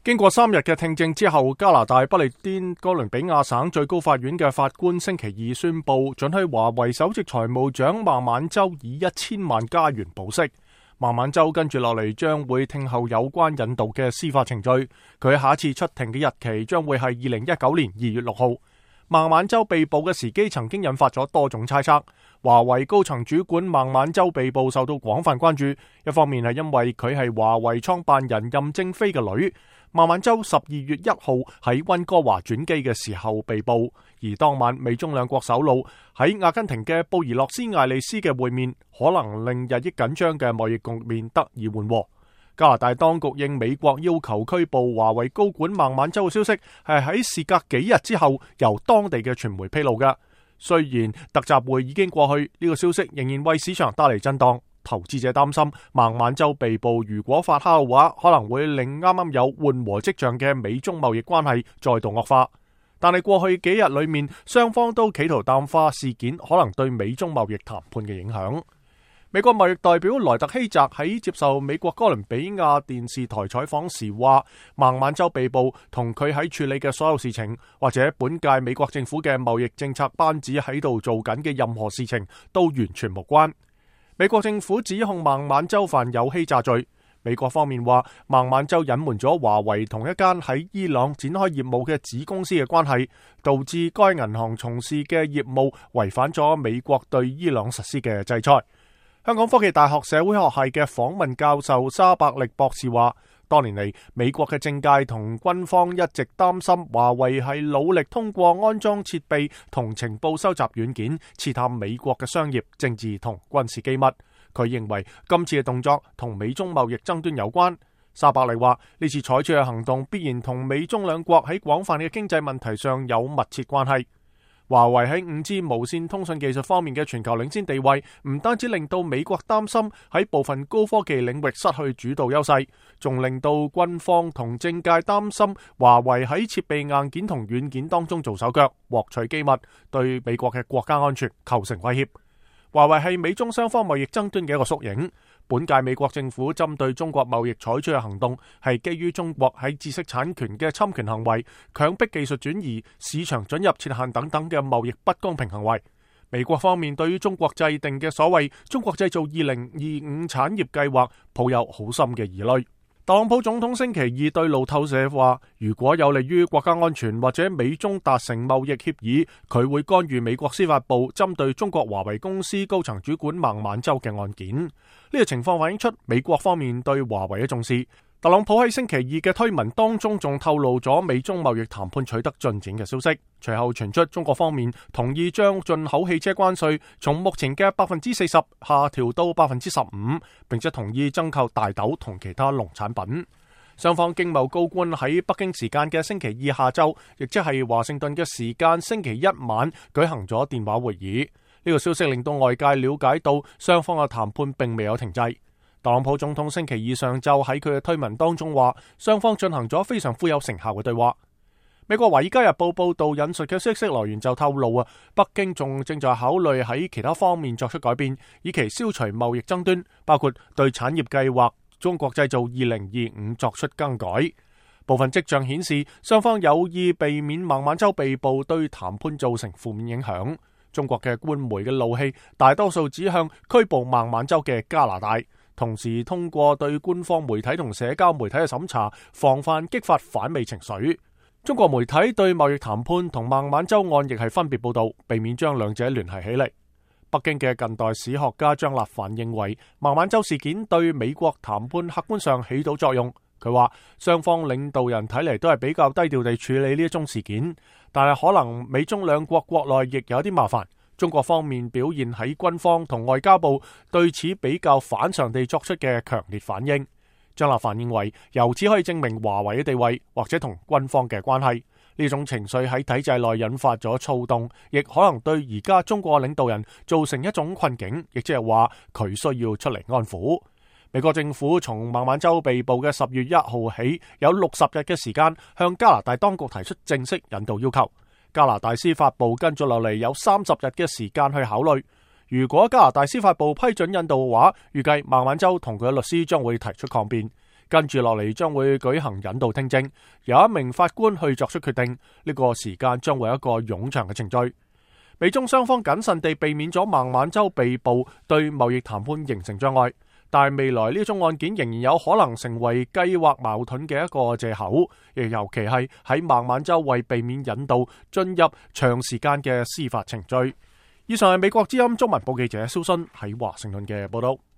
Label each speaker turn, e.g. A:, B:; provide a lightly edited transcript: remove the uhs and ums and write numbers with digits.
A: 經過3日嘅聽證之後，加拿大不列顛哥倫比亞省最高法院嘅法官星期二宣布，准許華為首席財務長孟晚舟以1000萬加元保釋。孟晚舟跟住落嚟將會聽候有關引渡嘅司法程序，佢下一次出庭嘅日期將會係2019年2月6號。孟晚舟被捕嘅時機曾經引發咗多種猜測。華為高層主管孟晚舟被捕受到廣泛關注，一方面係因為佢係華為創辦人任正非嘅女。孟晚舟12月1號喺溫哥華轉機嘅時候被捕，而當晚美中兩國首腦喺阿根廷嘅布宜諾斯艾利斯嘅會面，可能令日益緊張嘅貿易局面得以緩和。加拿大當局應美國要求拘捕華為高管孟晚舟嘅消息，係喺事隔幾日之後由當地嘅傳媒披露嘅。雖然特集會已經過去，呢個消息仍然為市場帶嚟震盪。投資者擔心孟晚舟被捕如果發酵嘅話，可能會令啱啱有緩和跡象嘅美中貿易關係再度惡化。但係過去幾日裏面，雙方都企圖淡化事件可能對美中貿易談判嘅影響。美國貿易代表萊特希澤喺接受美國哥倫比亞電視台採訪時話，孟晚舟被捕同佢喺處理嘅所有事情，或者本屆美國政府嘅貿易政策班子喺度做緊嘅任何事情都完全無關。美國政府指控孟晚舟犯有欺詐罪。美國方面話，孟晚舟隱瞞咗華為同一間喺伊朗展開業務嘅子公司嘅關係，導致該銀行從事嘅業務違反咗美國對伊朗實施嘅制裁。香港科技大學社會學系嘅訪問教授沙伯力博士話，多年嚟，美國嘅政界同軍方一直擔心華為係努力通過安裝設備同情報收集軟件，刺探美國嘅商業、政治同軍事機密。佢認為今次嘅動作同美中貿易爭端有關。沙伯力話，呢次採取嘅行動必然同美中兩國喺廣泛嘅經濟問題上有密切關係。華為喺5G 無線通訊技術方面嘅全球領先地位，唔單止令到美國擔心喺部分高科技領域失去主導優勢，仲令到軍方同政界擔心華為喺設備硬件同軟件當中做手腳，獲取機密，對美國嘅國家安全構成威脅。華為係美中雙方貿易爭端嘅一個縮影。本屆美國政府針對中國貿易採取嘅行動，係基於中國喺知識產權嘅侵權行為、強迫技術轉移、市場准入設限等等嘅貿易不公平行為。美國方面對於中國制定嘅所謂中國製造2025產業計劃，抱有好深嘅疑慮。特朗普總統星期二對路透社話，如果有利於國家安全或者美中達成貿易協議，佢會干預美國司法部針對中國華為公司高層主管孟晚舟嘅案件。呢個情況反映出美國方面對華為嘅重視。特朗普喺星期二嘅推文當中仲透露咗美中貿易談判取得進展嘅消息，隨後傳出中國方面同意將進口汽車關稅從目前嘅40%下調到15%，並且同意增購大豆同其他農產品。雙方經貿高官喺北京時間嘅星期二下晝，亦即係華盛頓嘅時間星期一晚舉行咗電話會議。呢個消息令到外界了解到雙方嘅談判並未有停滯。特朗普總統星期二上晝喺佢嘅推文當中話，雙方進行咗非常富有成效嘅對話。美國《華爾街日報》報道引述嘅消息來源就透露北京仲正在考慮喺其他方面作出改變，以期消除貿易爭端，包括對產業計劃中國製造2025作出更改。部分跡象顯示，雙方有意避免孟晚舟被捕對談判造成負面影響。中國嘅官媒嘅怒氣大多數指向拘捕孟晚舟嘅加拿大，同時通過對官方媒體同社交媒體嘅審查，防範激發反美情緒。中國媒體對貿易談判同孟晚舟案亦係分別報道，避免將兩者聯繫起嚟。北京嘅近代史學家張立凡認為，孟晚舟事件對美國談判客觀上起到作用。佢話雙方領導人睇嚟都係比較低調地處理呢一宗事件，但係可能美中兩國國內亦有啲麻煩。中國方面表現喺軍方同外交部對此比較反常地作出嘅強烈反應。張立凡認為，由此可以證明華為嘅地位或者同軍方嘅關係。呢種情緒喺體制內引發咗躁動，亦可能對而家中國領導人造成一種困境，亦即係話佢需要出嚟安撫。美國政府從孟晚舟被捕嘅10月1號起，有60日嘅時間向加拿大當局提出正式引渡要求。加拿大司法部跟住落嚟有30日嘅時間去考慮。如果加拿大司法部批准引渡嘅話，預計孟晚舟同佢嘅律師將會提出抗辯。跟住落嚟將會舉行引導聽證，由一名法官去作出決定。呢個時間將會有一個冗長嘅程序。美中雙方謹慎地避免咗孟晚舟被捕對貿易談判形成障礙，但係未來呢宗案件仍然有可能成為計劃矛盾嘅一個藉口，亦尤其係喺孟晚舟為避免引渡進入長時間嘅司法程序。以上係美國之音中文部記者蕭순喺華盛頓嘅報道。